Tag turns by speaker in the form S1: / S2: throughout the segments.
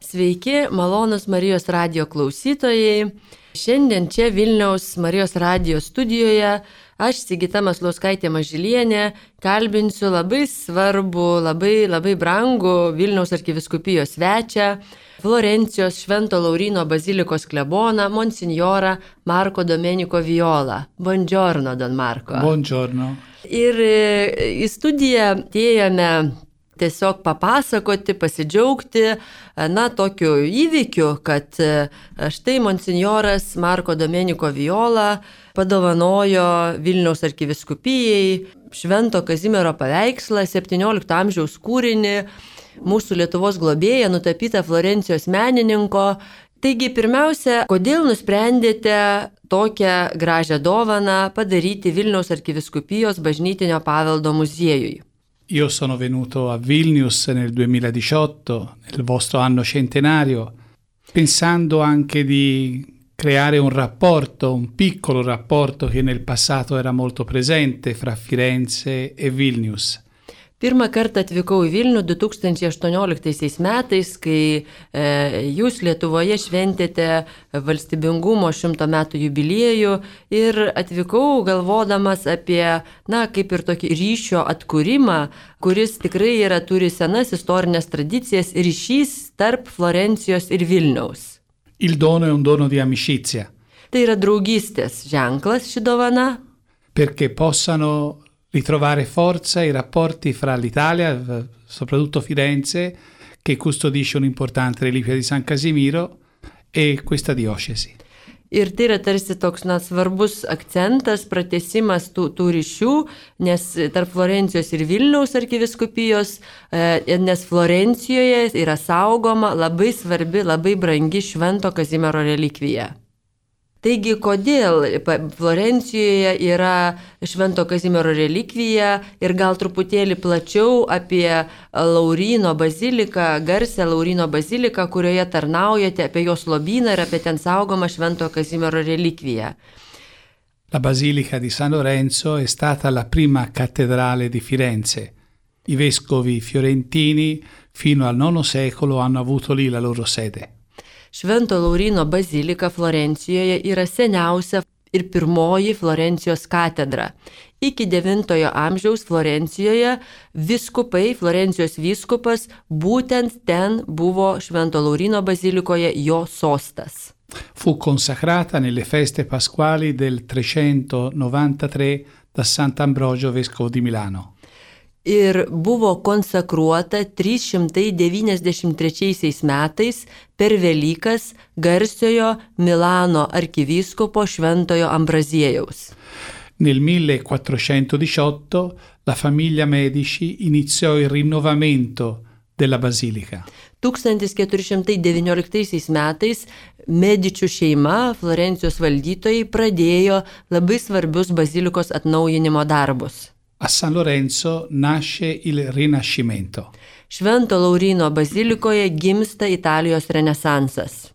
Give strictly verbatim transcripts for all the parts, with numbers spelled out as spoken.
S1: Sveiki, malonus Marijos radijo klausytojai. Šiandien čia Vilniaus Marijos radijo studijoje aš, Sigita Maslauskaitė Mažylienė, kalbinsiu labai svarbu, labai, labai brangų Vilniaus arkivyskupijos svečią, Florencijos Švento Lauryno bazilikos kleboną, monsinjorą Marco Domenico Viola. Buongiorno, Don Marco.
S2: Buongiorno.
S1: Ir į studiją atėjome tiesiog papasakoti, pasidžiaugti, na, tokiu įvykiu, kad štai monsinjoras Marco Domenico Viola padovanojo Vilniaus arkivyskupijai Švento Kazimiero paveikslą, septyniolikto amžiaus kūrinį, mūsų Lietuvos globėją, nutapytą Florencijos menininko. Taigi, pirmiausia, kodėl nusprendėte tokią gražią dovaną padaryti Vilniaus arkivyskupijos bažnytinio paveldo muziejui?
S2: Io sono venuto a Vilnius nel duemiladiciotto, nel vostro anno centenario, pensando anche di creare un rapporto, un piccolo rapporto che nel passato era molto presente fra Firenze e Vilnius.
S1: Pirmą kartą atvykau į Vilnių du tūkstančiai aštuonioliktaisiais metais, kai e, jūs Lietuvoje šventėte valstybingumo šimto metų jubiliejų ir atvykau galvodamas apie, na, kaip ir tokį ryšio atkūrimą, kuris tikrai yra, turi senas istorinės tradicijas, ryšys tarp Florencijos ir Vilniaus.
S2: Il dono è un dono di amicizia.
S1: Tai yra draugystės ženklas ši dovana.
S2: Perché possano ritrovare forza i rapporti fra l'Italia, soprattutto Firenze, che custodisce un'importante reliquia di San Casimiro, e questa diocesi.
S1: Ir tai yra tarsi toks, na, svarbus akcentas, pratęsimas tų, tų ryšių, nes tarp Florencijos ir Vilniaus arkivyskupijos, e, nes Florencijoje yra saugoma labai svarbi, labai brangi Švento Kazimiero relikvija. Taigi, kodėl Florencijoje yra Švento Kazimiero relikvija ir gal truputėlį plačiau apie Lauryno baziliką, garsę Lauryno baziliką, kurioje tarnaujate, apie jos lobyną ir apie ten saugomą Švento Kazimiero relikviją.
S2: La Basilica di San Lorenzo è stata la prima cattedrale di Firenze. I vescovi fiorentini fino al nono secolo hanno avuto lì la loro sede.
S1: Švento Lauryno bazilika Florencijoje yra seniausia ir pirmoji Florencijos katedra. Iki devintojo amžiaus Florencijoje vyskupai, Florencijos vyskupas, būtent ten buvo Švento Lauryno bazilikoje jo sostas.
S2: Fu consacrata nelle feste pasquali del trecentonovantatré da Sant'Ambrogio vescovo di Milano.
S1: Ir buvo konsakruota trys šimtai devyniasdešimt trečiaisiais metais per Velykas garsiojo Milano arkivyskupo Šventojo Ambraziejaus.
S2: Nel millequattrocentodiciotto la famiglia Medici iniziò il rinnovamento della basilica.
S1: tūkstantis keturi šimtai devynioliktaisiais metais Medičių šeima, Florencijos valdytojai, pradėjo labai svarbius bazilikos atnaujinimo darbus.
S2: A San Lorenzo nasce il Rinascimento.
S1: Švento Lauryno bazilikoje gimsta Italijos renesansas.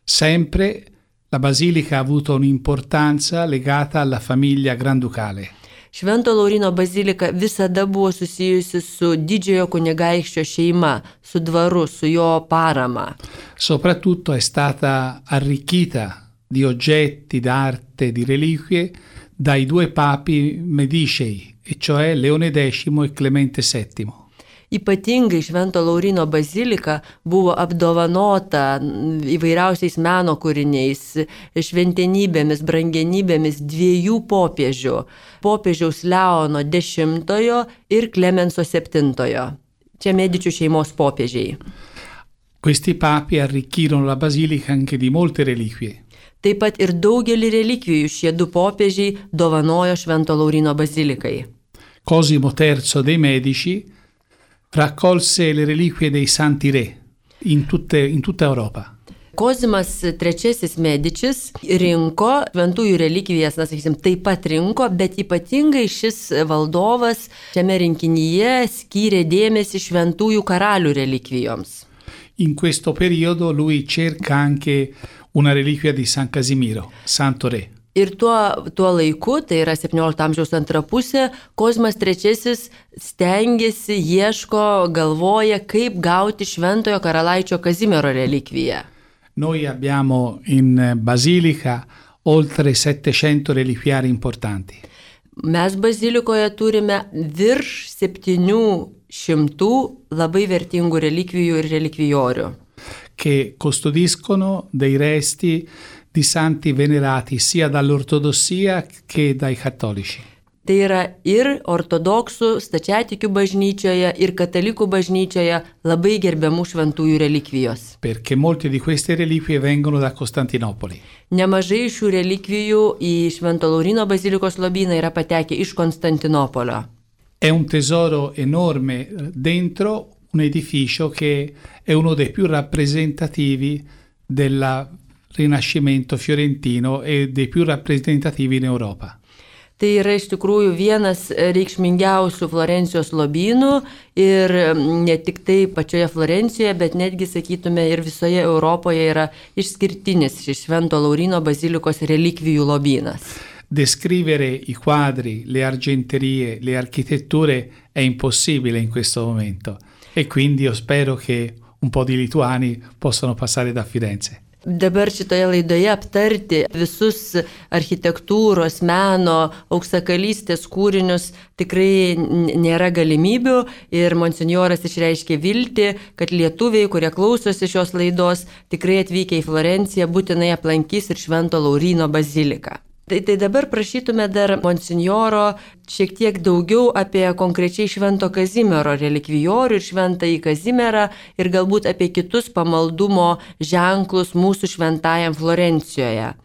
S2: Sempre la basilica ha avuto un'importanza legata alla famiglia granducale.
S1: Švento Lauryno bazilika visada buvo susijusi su didžiojo kunigaikščio šeima, su dvaru, su jo parama.
S2: Soprattutto è stata arricchita di oggetti d'arte, di reliquie dai due papi Medicei, e cioè Leone X e Clemente settimo.
S1: Ypatingai Švento Lauryno bazilika buvo apdovanota įvairiausiais meno kūriniais, šventenybėmis, brangenybėmis dviejų popiežių - popiežiaus Leono X ir Klemenso septintojo. Čia Medičių šeimos popiežiai.
S2: Questi papi arricchirono la basilica anche di molte reliquie.
S1: Taip pat ir daugelį relikvijų šie du popiežiai dovanojo Švento Lauryno bazilikai.
S2: Cosimo terzo dei Medici raccolse le reliquie dei Santi Re in, tutte, in tutta Europa.
S1: Kozimas trečiasis Medičis rinko šventųjų relikvijas, na, sakysim, taip pat rinko, bet ypatingai šis valdovas šiame rinkinyje skyrė dėmesį šventųjų karalių relikvijoms.
S2: In questo periodo lui cerca anche una reliquia di San Casimiro, Santo Re.
S1: Ir tuo, tuo laiku, tai yra septyniolikto amžiaus antra pusė, Kozimas trečiasis stengiasi, ieško, galvoja, kaip gauti šventojo karalaičio Kazimiero relikviją.
S2: Noi abbiamo in Basilica oltre settecento reliquiari importanti.
S1: Mes bazilikoje turime virš septynių šimtų labai vertingų relikvijų ir relikvijorių,
S2: che custodiscono dei resti di santi venerati sia dall'ortodossia che dai cattolici.
S1: Tai yra ir ortodoksų stačiatikių bažnyčioje, ir katalikų bažnyčioje labai gerbiamų šventųjų relikvijos.
S2: Perché molte di queste reliquie vengono da Costantinopoli.
S1: Nemažai šių relikvijų į Švento Lauryno bazilikos lobyną yra patekę iš Konstantinopolio.
S2: È un tesoro enorme dentro un edificio che è uno dei più rappresentativi del Rinascimento fiorentino e dei più rappresentativi in Europa.
S1: Tai yra iš tikrųjų vienas reikšmingiausių Florencijos lobynų ir ne tik tai pačioje Florencijoje, bet netgi, sakytume, ir visoje Europoje yra išskirtinis šis Švento Lauryno bazilikos relikvijų lobynas.
S2: Descrivere i quadri, le argenterie, le architetture è impossibile in questo momento e quindi io spero che un po' di lituani possano passare da Firenze.
S1: Dabar šitoje laidoje aptarti visus architektūros, meno, auksakalystės kūrinius tikrai nėra galimybių ir monsinjoras išreiškė viltį, kad lietuviai, kurie klausosi šios laidos, tikrai atvykę į Florenciją būtinai aplankys ir Švento Lauryno baziliką. Tai, tai dabar prašytume dar monsinjoro šiek tiek daugiau apie konkrečiai Švento Kazimiero relikvijorių ir Šventąjį Kazimierą ir galbūt apie kitus pamaldumo ženklus mūsų šventajam Florencijoje.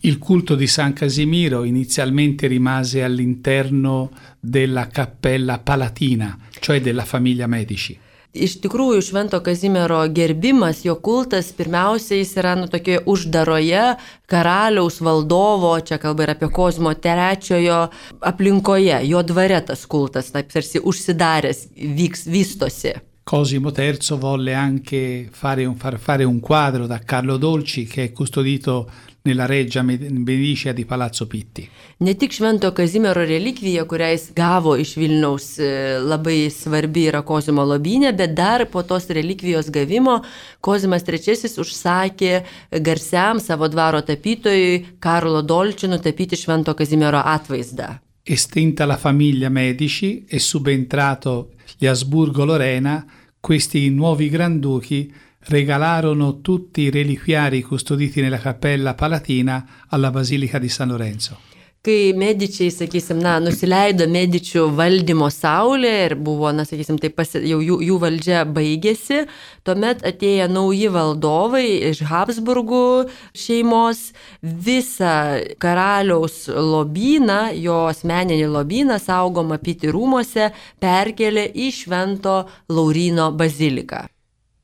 S2: Il culto di San Casimiro inizialmente rimase all'interno della Cappella Palatina, cioè della famiglia Medici.
S1: Iš tikrųjų, Švento Kazimiero gerbimas, jo kultas, pirmiausia, jis yra nu, tokioje uždaroje karaliaus valdovo, čia kalba ir apie Kozimo trečiojo aplinkoje, jo dvare tas kultas, taip tarsi užsidaręs, vyks, vystosi.
S2: Cosimo terzo volle anche fare un, far fare un quadro da Carlo Dolci che è custodito nella Reggia Medicea di Palazzo Pitti.
S1: Ne tik Švento Kazimiero relikvija, kurią jis gavo iš Vilniaus, labai svarbi yra Kozimo lobyne, bet dar po tos relikvijos gavimo Kozimas trečiasis užsakė garsiam savo dvaro tapytojui Karlo Dolci nutapyti Švento Kazimiero atvaizdą.
S2: Estinta la famiglia Medici e subentrato gli Asburgo-Lorena, questi nuovi granduchi regalarono tutti i reliquiari custoditi nella Cappella Palatina alla Basilica di San Lorenzo.
S1: Kai Medičiai, sakysim, na, nusileido Medičių valdymo saulė ir buvo, na, sakysim, tai pasi, jau jų, jų valdžia baigėsi, tuomet atėjo nauji valdovai iš Habsburgų šeimos, visą karaliaus lobyną, jo asmeninį lobyną saugomą Pitti rūmuose perkelė į Švento Lauryno baziliką.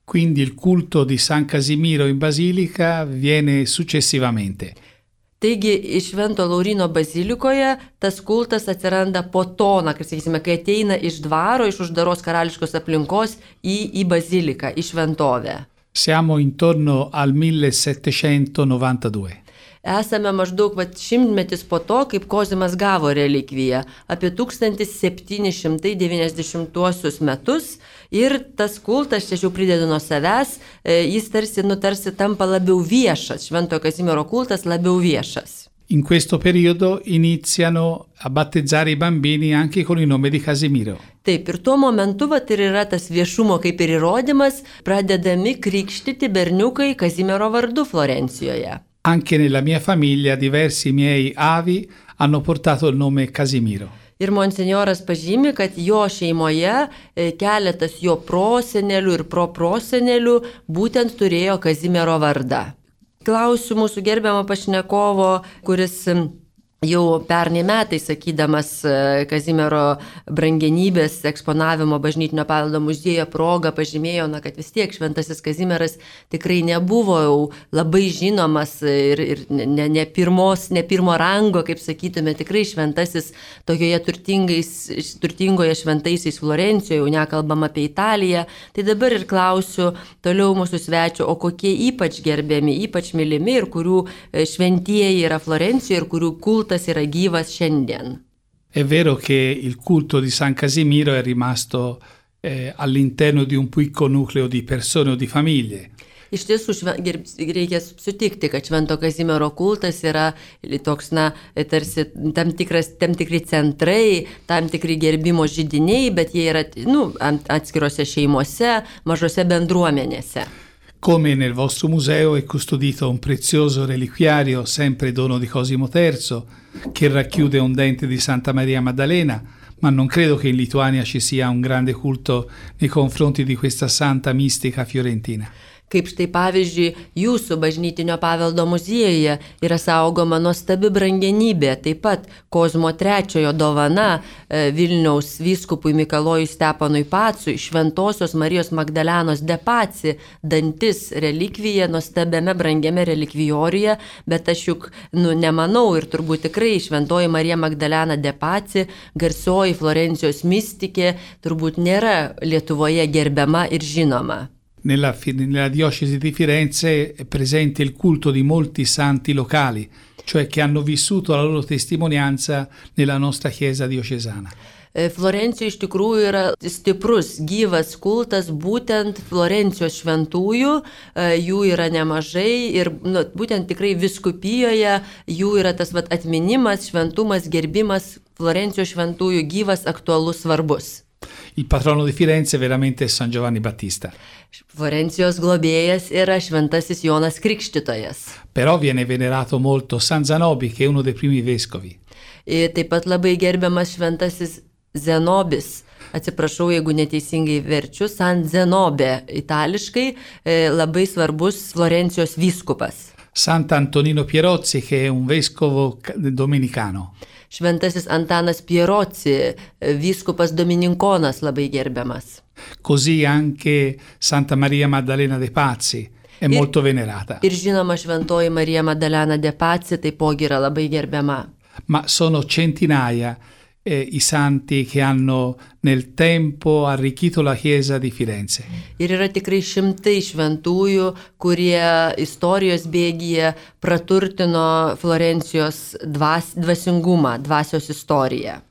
S2: Quindi il culto di San Casimiro in Basilica viene successivamente.
S1: Taigi, iš Švento Lauryno bazilikoje tas kultas atsiranda po to, na, kaip sakysime, kai ateina iš dvaro, iš uždaros karališkos aplinkos į, į baziliką, į šventovę.
S2: Siamo intorno al millesettecentonovantadue.
S1: Esame maždaug vat, šimtmetis po to, kaip Kozimas gavo relikviją, apie tūkstantis septyni šimtai devyniasdešimtuosius metus ir tas kultas, čia jau pridedu nuo savęs, jis tarsi, nu, tarsi tampa labiau viešas, Šventojo Kazimiero kultas labiau viešas.
S2: In questo periodo iniziano a battezzare i bambini anche con il nome di Casimiro.
S1: Taip, ir tuo momentu vat, ir yra tas viešumo kaip ir įrodymas, pradedami krikštyti berniukai Kazimiero vardu Florencijoje.
S2: Anche nella mia famiglia diversi miei avi hanno portato il nome Casimiro.
S1: Ir monsinjoras pažymi, kad jo šeimoje keletas jo prosenelių ir proprosenelių būtent turėjo Kazimiero vardą. Klausiu mūsų gerbiamo pašnekovo, kuris jau pernai metais, sakydamas Kazimiero brangenybės eksponavimo bažnytinio paveldo muziejuje progą, pažymėjo, na, kad vis tiek šventasis Kazimieras tikrai nebuvo jau labai žinomas ir, ir ne, ne, pirmos, ne pirmo rango, kaip sakytume, tikrai šventasis tokioje turtingoje šventaisiais Florencijoje, jau nekalbam apie Italiją. Tai dabar ir klausiu toliau mūsų svečio, o kokie ypač gerbiami, ypač mylimi ir kurių šventieji yra Florencijoje ir kurių kultas era gyvas šiandien.
S2: È vero che il culto di San Casimiro è rimasto eh, all'interno di un piccolo nucleo di persone o di famiglie.
S1: Iš tiesų reikia sutikti, kad Švento Kazimiero kultas yra toks, na, tarsi tam, tikras, tam tikri centrai, tam tikri gerbimo židiniai, bet jie yra, nu, atskirose šeimose, mažose bendruomenėse.
S2: Come nel vostro museo è custodito un prezioso reliquiario, sempre dono di Cosimo terzo, che racchiude un dente di Santa Maria Maddalena, ma non credo che in Lituania ci sia un grande culto nei confronti di questa santa mistica fiorentina.
S1: Kaip štai pavyzdžiui, jūsų bažnytinio paveldo muziejuje yra saugoma nuostabi brangenybė, taip pat Kozmo trečiojo dovana Vilniaus vyskupui Mikalojui Stepanui Pacui, Šventosios Marijos Magdalenos de Paci, dantis relikvija nuostabiame brangiame relikvijoriuje, bet aš juk, nu, nemanau ir turbūt tikrai Šventoji Marija Magdalena de Paci, garsioji Florencijos mistikė, turbūt nėra Lietuvoje gerbiama ir žinoma.
S2: Nella, nella diocesi di Firenze è presente il culto di molti santi locali, cioè che hanno vissuto la loro testimonianza nella nostra chiesa diocesana.
S1: Florencijoje iš tikrųjų yra stiprus, gyvas kultas būtent Florencijos šventųjų, jų yra nemažai ir, nu, būtent tikrai viskupijoje jų yra tas, vat, atminimas, šventumas, gerbimas Florencijos šventųjų gyvas, aktualus, svarbus.
S2: Il patrono di Firenze veramente è San Giovanni Battista.
S1: Florencijos globėjas yra šventasis Jonas Krikštytojas.
S2: Però viene venerato molto San Zanobi, che è uno dei primi vescovi.
S1: Ir taip pat labai gerbiamas šventasis Zenobis. Atsiprašau, jeigu neteisingai verčiu, San Zenobė itališkai, labai svarbus Florencijos vyskupas.
S2: Sant'Antonino Pierozzi, che è un vescovo domenicano.
S1: Šventasis Antanas Pierozzi, vyskupas domininkonas, labai gerbiamas.
S2: Così anche Santa Maria Maddalena de Pazzi è ir, molto venerata.
S1: Ir žinoma, Šventoji Marija Maddalena de Pazzi taipogi yra labai gerbiama.
S2: Ma sono centinaia eh, i santi che hanno nel tempo arricchito la chiesa di Firenze.
S1: Ir yra tikrai šimtai šventųjų, kurie istorijos bėgyje praturtino Florencijos dvas, dvasingumą, dvasios istoriją.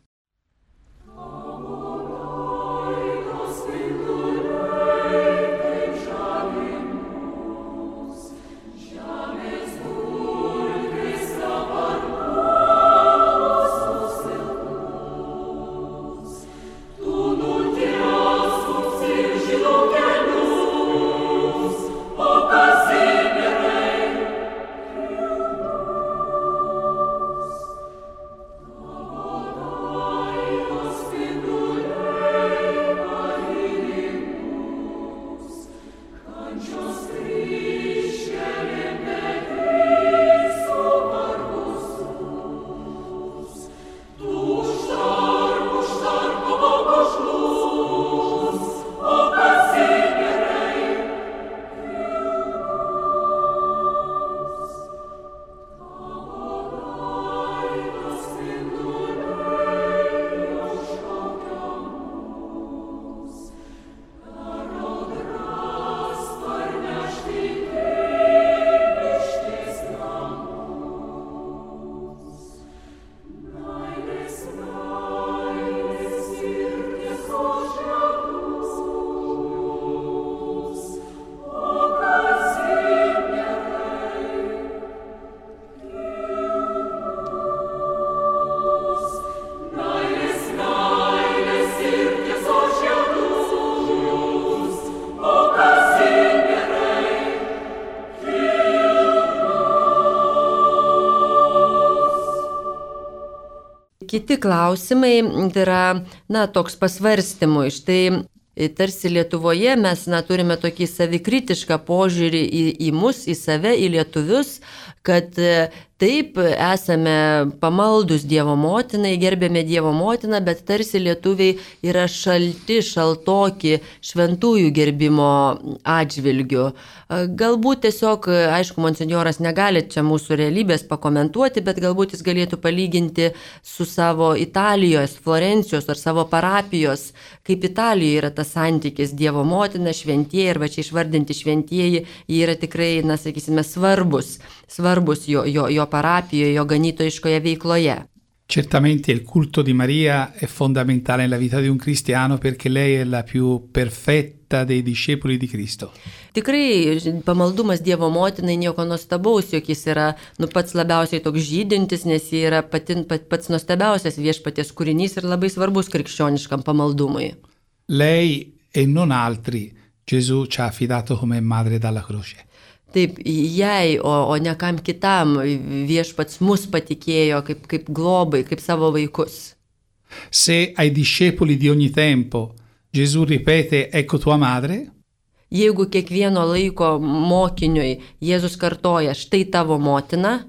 S1: Kiti klausimai tai yra, na, toks pasvarstymų. Štai tarsi Lietuvoje mes, na, turime tokį savikritišką požiūrį į, į mus, į save, į lietuvius, kad Taip, esame pamaldus Dievo motinai, gerbėme Dievo motiną, bet tarsi lietuviai yra šalti, šaltoki šventųjų gerbimo atžvilgių. Galbūt tiesiog, aišku, monsinjoras negali čia mūsų realybės pakomentuoti, bet galbūt jis galėtų palyginti su savo Italijos, Florencijos ar savo parapijos, kaip Italijoje yra tas santykis Dievo motina, šventieji ir va čia išvardinti šventieji, jie yra tikrai, na, sakysime, svarbus, svarbus jo, jo, jo parapijoje, jo ganytojiškoje veikloje.
S2: Certamente il culto di Maria è fondamentale nella vita di un cristiano perché lei è la più perfetta dei discepoli di Cristo.
S1: Tikrai pamaldumas Dievo motinai nieko nuostabaus, jog jis yra nu, pats labiausiai toks žydintis, nes jis yra pati, pat, pats nuostabiausias viešpaties kūrinys ir labai svarbus krikščioniškam pamaldumui.
S2: Lei e non altri Gesù ci ha affidato come madre dalla croce.
S1: Taip, jai, o, o ne kam kitam viešpats mus patikėjo kaip, kaip globai, kaip savo vaikus.
S2: Se ai discepoli di ogni tempo Gesù ripete ecco tua madre,
S1: jeigu kiekvieno laiko mokiniui Jėzus kartoja štai tavo motina,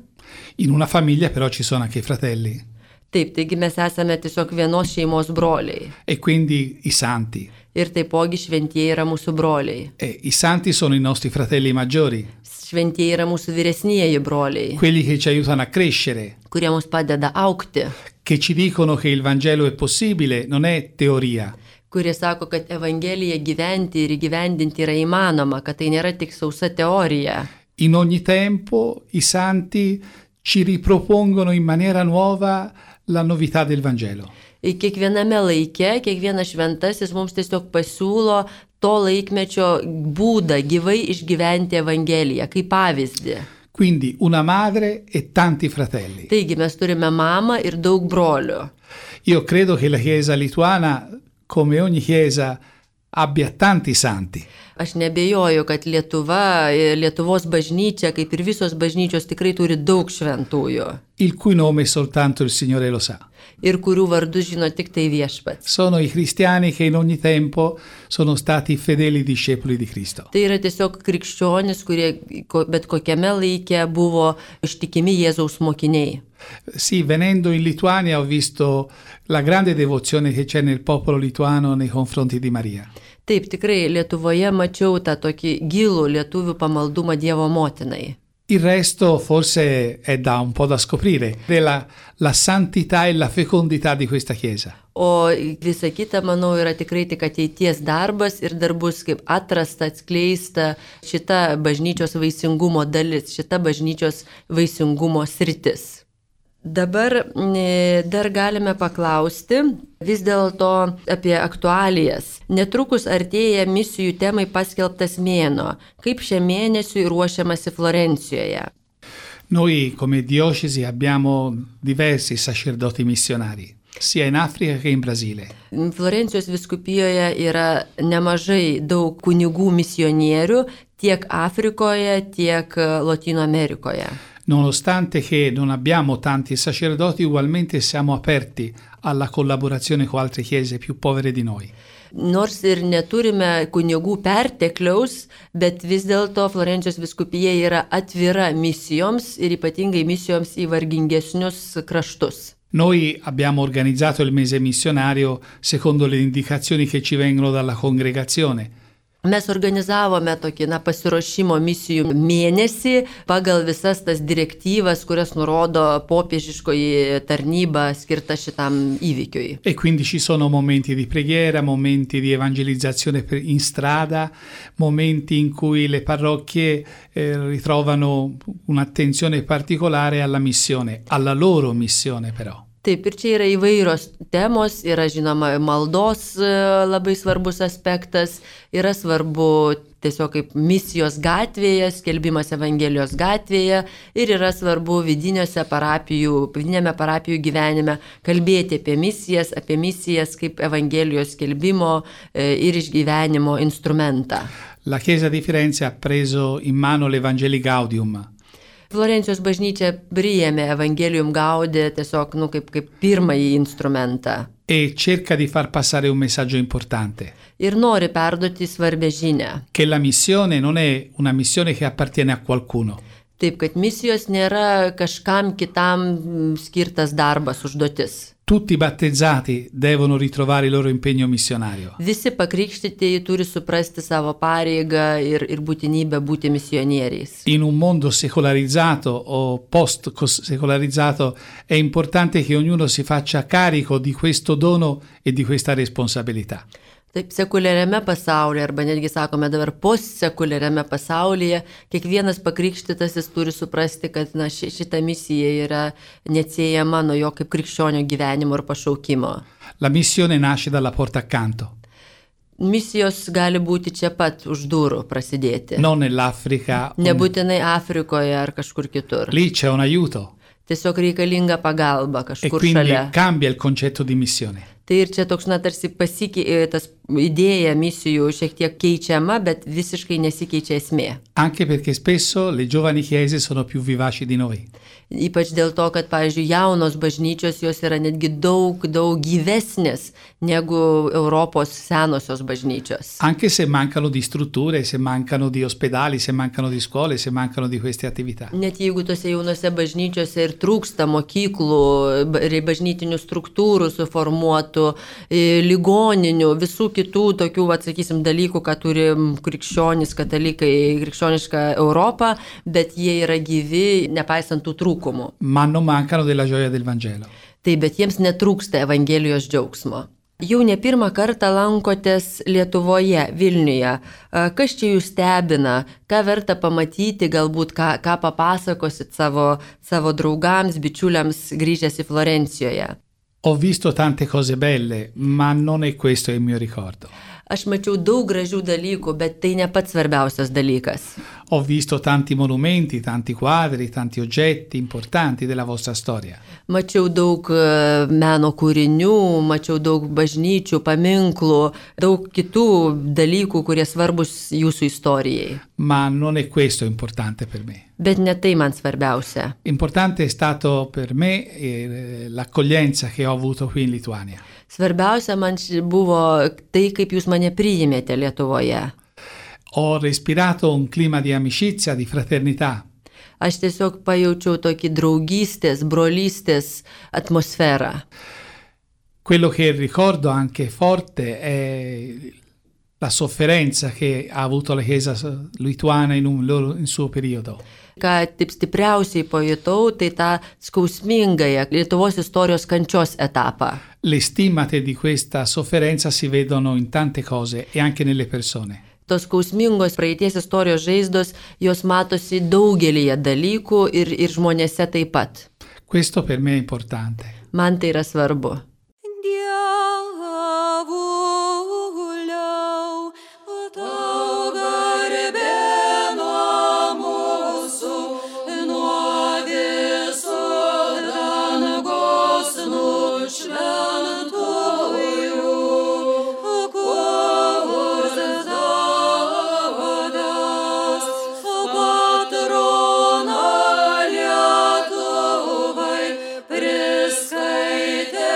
S2: in una famiglia però ci sono anche i fratelli.
S1: Taip, taigi mes esame tiesiog vienos šeimos broliai.
S2: E quindi i santi.
S1: Ir taipogi šventieji yra mūsų broliai.
S2: E i santi sono i nostri fratelli maggiori.
S1: Šventieji yra mūsų vyresnieji broliai.
S2: Quelli che ci aiutano a crescere.
S1: Kurie mums padeda augti.
S2: Che ci dicono che il Vangelo è possibile, non è teoria.
S1: Kurie sako, kad Evangeliją gyventi ir įgyvendinti yra įmanoma, kad tai nėra tik sausa teorija.
S2: In ogni tempo i santi ci ripropongono in maniera nuova la novità del Vangelo.
S1: Kiekviename laike, kiekvienas šventasis mums tiesiog pasiūlo to laikmečio būdą gyvai išgyventi Evangeliją, kaip pavyzdį.
S2: Quindi una madre e tanti fratelli.
S1: Taigi mes turime mamą ir daug brolių.
S2: Io credo che la Chiesa lituana, come ogni Chiesa, abbia tanti santi.
S1: Aš nebejoju, kad Lietuva, Lietuvos bažnyčia, kaip ir visos bažnyčios, tikrai turi daug šventųjų.
S2: Il cui nome soltanto il Signore lo sa.
S1: Ir kurių vardus žino tik tai viešpats.
S2: Sono i cristiani che in ogni tempo sono stati fedeli discepoli di Cristo.
S1: Tai yra tiesiog krikščionis, kurie bet kokiame laike buvo ištikimi Jėzaus mokiniai.
S2: Sì, venendo in Lituania ho visto la grande devozione che c'è nel popolo lituano nei confronti di Maria.
S1: Taip, tikrai Lietuvoje mačiau tą tokį gilų lietuvių pamaldumą Dievo motinai.
S2: Il resto forse è da un po' da scoprire, la, la santità e la fecondità di questa Chiesa.
S1: O visa kita, manau, yra tikrai tik ateities darbas ir dar bus kaip atrasta, atskleista šita bažnyčios vaisingumo dalis, šita bažnyčios vaisingumo sritis. Dabar dar galime paklausti vis dėlto apie aktualijas. Netrukus artėja misijų temai paskelbtas mėnuo. Kaip šiam mėnesiui ruošiamasi Florencijoje?
S2: Noi come diocesi abbiamo diversi sacerdoti missionari, sia in Africa che in Brasile.
S1: Florencijos vyskupijoje yra nemažai daug kunigų misionierių tiek Afrikoje, tiek Lotynų Amerikoje.
S2: Nonostante che non abbiamo tanti sacerdoti, ugualmente siamo aperti alla collaborazione con altre chiese più povere di noi.
S1: Nors ir neturime kunigų pertekliaus, bet vis dėlto Florencijos vyskupija yra atvira misijoms ir ypatingai misijoms į vargingesnius kraštus.
S2: Noi abbiamo organizzato il mese missionario secondo le indicazioni che ci vengono dalla congregazione.
S1: Mes organizavome tokį na, pasiruošimo misijų mėnesį pagal visas tas direktyvas, kurias nurodo popiežiškoji tarnyba skirta šitam įvykiui.
S2: E quindi ci sono momenti di preghiera, momenti di evangelizzazione in strada, momenti in cui le parrocchie eh, ritrovano un'attenzione particolare alla missione, alla loro missione però.
S1: Taip, ir čia yra įvairios temos, yra žinoma maldos labai svarbus aspektas, yra svarbu tiesiog kaip misijos gatvėje, skelbimas Evangelijos gatvėje ir yra svarbu vidiniuose parapijų, vidinėme parapijų gyvenime kalbėti apie misijas, apie misijas kaip Evangelijos skelbimo ir išgyvenimo instrumentą.
S2: La Chiesa di Firenze ha preso in mano l'Evangelii Gaudium.
S1: Florencijos bažnyčia priėmė Evangelium Gaudė tiesiog nu, kaip, kaip pirmąjį instrumentą.
S2: E cerca di far passare un messaggio importante.
S1: Ir nori perduoti svarbę žinią.
S2: Che la missione non è una missione che appartiene a qualcuno.
S1: Taip, kad misijos nėra kažkam kitam skirtas darbas, užduotis.
S2: Tutti i battezzati devono ritrovare il loro impegno missionario.
S1: Visi pakrikštytieji turi suprasti savo pareigą ir, ir būtinybę būti misionieriais.
S2: In un mondo secolarizzato o post-secolarizzato è importante che ognuno si faccia carico di questo dono e di questa responsabilità.
S1: Taip, sekuliariame pasaulyje, arba netgi sakome dabar postsekuliariame pasaulyje, kiekvienas pakrikštytasis turi suprasti, kad na, ši, šita misija yra neatsiejama nuo jo kaip krikščionio gyvenimo ir pašaukimo.
S2: La missione nasce dalla porta accanto.
S1: Misijos gali būti čia pat už durų prasidėti.
S2: Non nell'Africa.
S1: Nebūtinai Afrikoje ar kažkur kitur.
S2: Lì c'è un aiuto.
S1: Tiesiog reikalinga pagalba
S2: E
S1: kažkur
S2: quindi
S1: šalia.
S2: cambia il concetto di missione.
S1: Tai ir čia toks, na, tarsi pasikei, tas idėja misijų šiek tiek keičiama, bet visiškai nesikeičia esmė.
S2: Anche perché spesso le giovani chiese sono più vivaci di noi.
S1: Ypač dėl to, kad, pavyzdžiui, jaunos bažnyčios jos yra netgi daug, daug gyvesnės negu Europos senosios bažnyčios.
S2: Anche se mancano di strutture, se mancano di ospedali, se mancano di scuole, se mancano di queste attività.
S1: Net jeigu tose jaunose bažnyčiose ir trūksta mokyklų, ba- ir bažnytinių struktūrų suformuotų, e, ligoninių, visų kitų tokių, atsakysim, dalykų, ką turi krikščionys, katalikai, krikščioniška Europa, bet jie yra gyvi, nepaisant tų trūkumų.
S2: Ma non mancano della gioia del Vangelo.
S1: Taip, bet jiems netrūksta Evangelijos džiaugsmo. Jau ne pirmą kartą lankotės Lietuvoje, Vilniuje. A, Kas čia jūs stebina, ką verta pamatyti, galbūt ką, ką papasakosit savo, savo draugams, bičiuliams grįžęs į Florencijoje?
S2: Ho visto tante cose belle, ma non è questo il mio ricordo.
S1: Aš mačiau daug gražių dalykų, bet tai ne pats svarbiausias dalykas.
S2: Ho visto tanti monumenti, tanti quadri, tanti oggetti importanti della vostra storia.
S1: Mačiau daug e, meno kūrinių, mačiau daug bažnyčių, paminklų, daug kitų dalykų, kurie svarbus jūsų istorijai.
S2: Ma non è questo importante per me.
S1: Bet ne tai man svarbiausia.
S2: Importante è stato per me eh, l'accoglienza che ho avuto qui in Lituania.
S1: Svarbiausia man ši- buvo tai, kaip jūs mane priimėte Lietuvoje.
S2: Ho respirato un clima di amicizia, di fraternità.
S1: Aš tiesiog pajaučiau tokį draugystės, brolystės atmosferą.
S2: Quello che ricordo anche forte è la sofferenza che ha avuto la Chiesa lituana in un loro, in suo periodo.
S1: Ką taip stipriausiai pajutau, tai tą skausmingąją Lietuvos istorijos kančios etapą.
S2: Le stigmate di questa sofferenza si vedono in tante cose e anche nelle persone.
S1: Tos skausmingos praeities istorijos žaizdos, jos matosi daugelyje dalykų ir, ir žmonėse taip pat.
S2: Questo per me è importante.
S1: Man tai yra svarbu.
S3: Dievuliau, tau garbė nuo mūsų, nuo viso dangaus nušventųjų, kurs davdas, patrona Lietuvai, priskaitė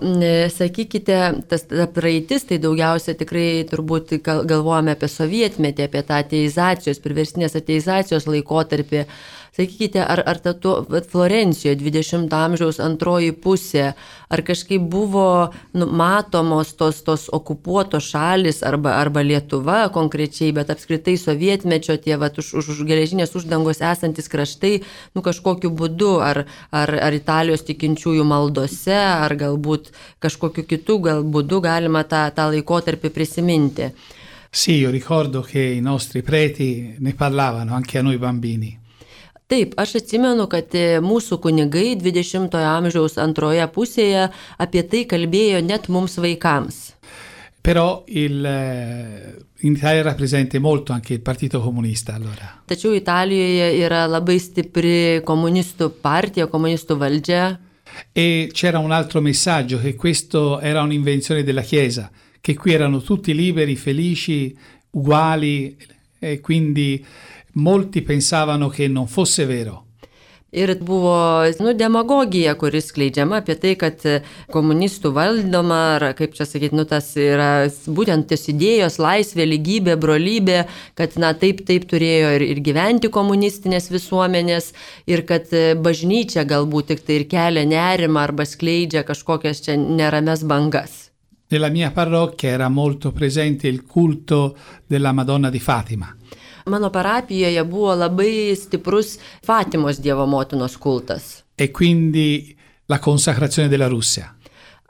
S1: e, sakykite, tas ta praeitis, tai daugiausia tikrai turbūt gal- galvojame apie sovietmetį, apie tą ateizacijos, priverstinės ateizacijos laikotarpį. Sakykite, ar, ar ta tuo, vat Florencijoje dvidešimto amžiaus antroji pusė, ar kažkaip buvo nu, matomos tos, tos okupuotos šalis arba, arba Lietuva konkrečiai, bet apskritai sovietmečio tie vat, už, už geležinės uždangos esantis kraštai, nu kažkokiu būdu, ar, ar, ar Italijos tikinčiųjų maldose, ar galbūt kažkokiu kitu gal būdu galima tą, tą laikotarpį prisiminti.
S2: Sì, io ricordo che i nostri preti ne parlavano anche a noi bambini.
S1: Taip, aš atsimenu, kad mūsų kunigai dvidešimtojo amžiaus antroje pusėje apie tai kalbėjo net mums vaikams.
S2: Però il, in Italia era presente molto anche il Partito Comunista allora.
S1: Tačiau Italijoje yra labai stipri komunistų partija, komunistų valdžia.
S2: E c'era un altro messaggio, che questo era un'invenzione della Chiesa, che qui erano tutti liberi, felici, uguali, e quindi molti pensavano che non fosse vero.
S1: Ir buvo nu, demagogija, kuris skleidžiama apie tai, kad komunistų valdoma, ar kaip čia sakyti, nu, tas yra būtent tos idėjos, laisvė, lygybė, brolybė, kad na, taip, taip turėjo ir, ir gyventi komunistinės visuomenės, ir kad bažnyčia galbūt tik tai ir kelia nerimą arba skleidžia kažkokias čia nerames bangas.
S2: Nella mia parrocchia era molto presente il culto della Madonna di Fatima.
S1: Mano parapijoje buvo labai stiprus Fatimos Dievo motinos kultas.
S2: E quindi la consacrazione della Russia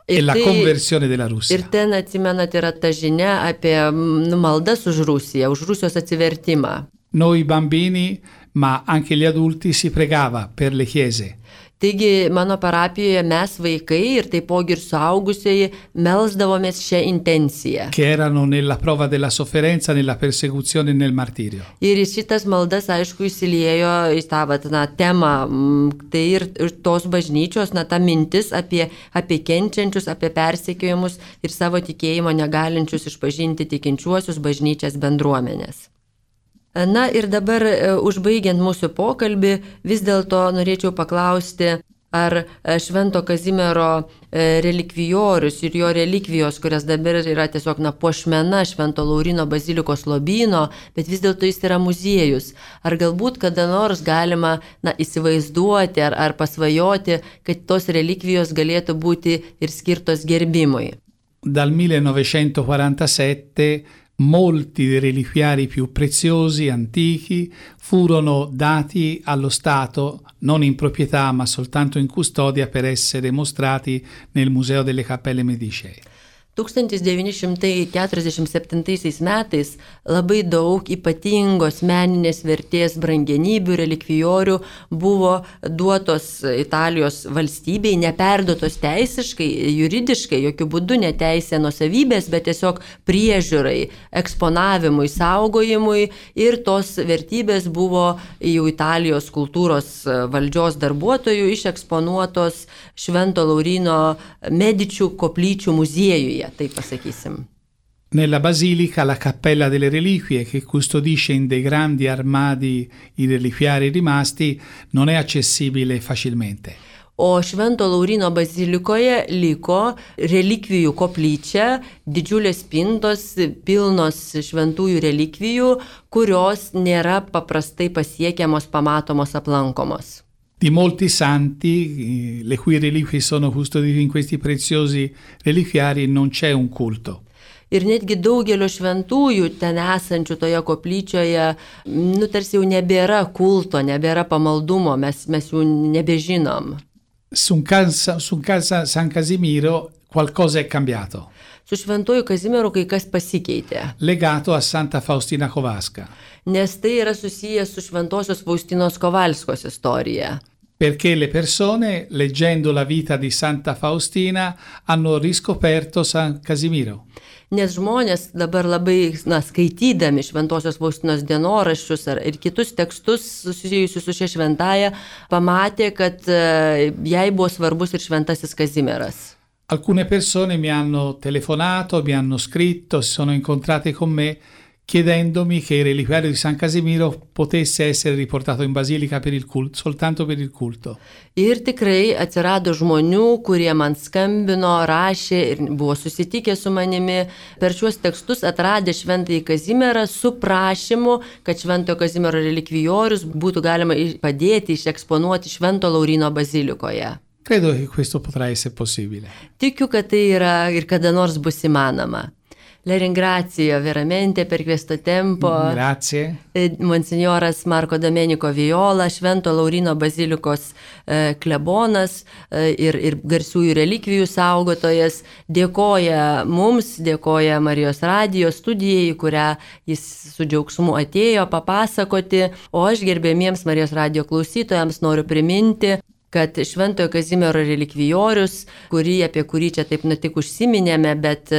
S2: e la
S1: tai,
S2: conversione della Russia.
S1: Ir ten atsimenat yra ta žinia apie nu, maldas už Rusiją, už Rusijos atsivertimą.
S2: Noi bambini, ma anche gli adulti, si pregava per le chiese.
S1: Taigi mano parapijoje mes vaikai ir taipogi ir suaugusieji melsdavomės šią intenciją.
S2: Che erano nella prova della sofferenza, nella persecuzione e nel martirio.
S1: Ir šitas maldas, aišku, įsiliejo į tą vat, na, temą, tai ir, ir tos bažnyčios, na, ta mintis apie, apie kenčiančius, apie persekiojimus ir savo tikėjimo negalinčius išpažinti tikinčiuosius bažnyčias bendruomenės. Na ir dabar, užbaigiant mūsų pokalbį, vis dėlto norėčiau paklausti, ar Švento Kazimiero relikvijorius ir jo relikvijos, kurias dabar yra tiesiog na, puošmena Švento Laurino bazilikos lobyno, bet vis dėlto jis yra muziejus. Ar galbūt kada nors galima na, įsivaizduoti ar, ar pasvajoti, kad tos relikvijos galėtų būti ir skirtos gerbimui?
S2: Dal millenovecentoquarantasette molti dei reliquiari più preziosi, antichi, furono dati allo Stato, non in proprietà ma soltanto in custodia, per essere mostrati nel Museo delle Cappelle Medicee.
S1: tūkstantis devyni šimtai keturiasdešimt septintaisiais metais labai daug ypatingos meninės vertės brangenybių, relikvijorių buvo duotos Italijos valstybei, neperduotos teisiškai, juridiškai, jokių būdų neteisė nuosavybės, bet tiesiog priežiūrai, eksponavimui, saugojimui, ir tos vertybės buvo jau Italijos kultūros valdžios darbuotojų išeksponuotos Švento Laurino Medičių koplyčių muziejuje. Taip pasakysim.
S2: Nella basilica la cappella delle reliquie, che custodisce in dei grandi armadi i reliquiari rimasti, non è accessibile facilmente.
S1: O Švento Laurino bazilikoje liko relikvijų koplyčia, didžiulės spintos, pilnos šventųjų relikvijų, kurios nėra paprastai pasiekiamos, pamatomos, aplankomos.
S2: Di molti santi, le cui reliquie sono custodite in questi preziosi reliquiari, non c'è un culto.
S1: Ir netgi daugelio šventųjų ten esančių toje koplyčioje, nu tarsi jau nebėra kulto, nebėra pamaldumo, mes, mes jų nebežinom.
S2: Su San Casimiro qualcosa è cambiato.
S1: Su Šventuoju Kazimieru kai kas pasikeitė.
S2: Legato a Santa Faustina Kowalska.
S1: Nes tai yra susijęs su Šventosios Faustinos Kovalskos istorija.
S2: Perché le persone, leggendo la vita di Santa Faustina, hanno riscoperto San Casimiro.
S1: Nes žmonės dabar labai, na, skaitydami Šventosios Faustinos dienoraščius ar ir kitus tekstus susijusius su šia šventaja, pamatė, kad uh, jai buvo svarbus ir Šventasis Kazimieras.
S2: Alcune persone mi hanno telefonato, mi hanno scritto, si sono incontrate con me, chiedendomi che il reliquiario di San Casimiro potesse essere riportato in basilica per il culto, soltanto per il culto.
S1: Ir tikrai atsirado žmonių, kurie man skambino, rašė ir buvo susitikę su manimi per šiuos tekstus atradę Šventąjį Kazimierą su prašymu, kad Šventojo Kazimiero relikvijorius būtų galima padėti, išeksponuoti Švento Lauryno bazilikoje.
S2: Credo che questo potrà essere possibile.
S1: Tikiu, kad tai yra ir kada nors bus įmanoma. Le ringrazio veramente per questo tempo.
S2: Grazie.
S1: Monsignoras Marco Domenico Viola, Švento Lauryno bazilikos e, klebonas e, ir, ir garsiųjų relikvijų saugotojas, dėkoja mums, dėkoja Marijos radijo studijai, kurią jis su džiaugsmu atėjo papasakoti, o aš gerbėmiems Marijos radijo klausytojams noriu priminti, kad Šventojo Kazimiero relikvijorius, kurį, apie kurį čia taip netik užsiminėme, bet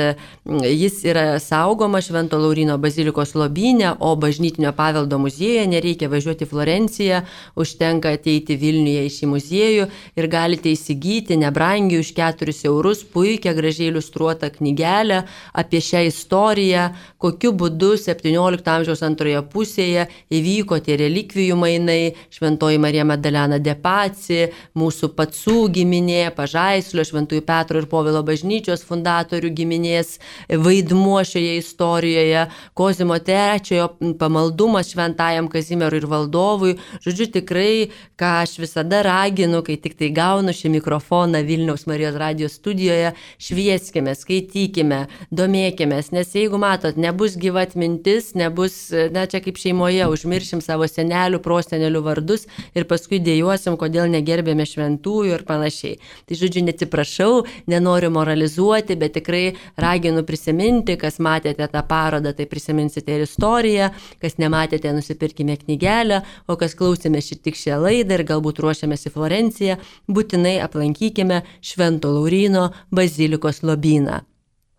S1: jis yra saugoma Švento Lauryno bazilikos lobyne, o bažnytinio paveldo muziejuje nereikia važiuoti į Florenciją, užtenka ateiti Vilniuje į šį muziejų ir galite įsigyti nebrangiai už keturis eurus puikią gražiai iliustruotą knygelę apie šią istoriją, kokiu būdu septyniolikto amžiaus antroje pusėje įvyko tie relikvijų mainai, Šventoji Marija Magdalena de Paci, mūsų Pacų giminė, Pažaislio, Šventųjų Petro ir Povilo bažnyčios fundatorių giminės vaidmuo šioje istorijoje, Kozimo trečiojo pamaldumas Šventajam Kazimierui ir valdovui. Žodžiu, tikrai, ką aš visada raginu, kai tik tai gaunu šį mikrofoną Vilniaus Marijos radijos studijoje, švieskime, skaitykime, domėkimės, nes jeigu matot, nebus gyva atmintis, nebus, na čia kaip šeimoje, užmiršim savo senelių, prosenelių vardus ir paskui dėjuosim, kodėl negerbėme šventųjų ir panašiai. Tai žodžiu, neatsiprašau, nenoriu moralizuoti, bet tikrai raginu prisiminti, kas matėte tą parodą, tai prisiminsite ir istoriją, kas nematėte, nusipirkime knygelę, o kas klausėme šį tik šią laidą ir galbūt ruošiamės į Florenciją, būtinai aplankykime Švento Lauryno bazilikos lobyną.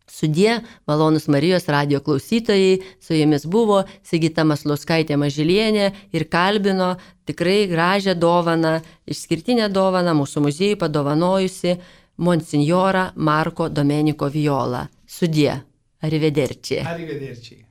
S1: Sudie, malonus Marijos radijo klausytojai, su jumis buvo Sigita Maslauskaitė Mažylienė ir kalbino tikrai gražią dovaną, išskirtinę dovaną mūsų muziejui padovanojusi monsinjorą Marco Domenico Viola. Sudie, arrivederci.
S2: Arrivederci.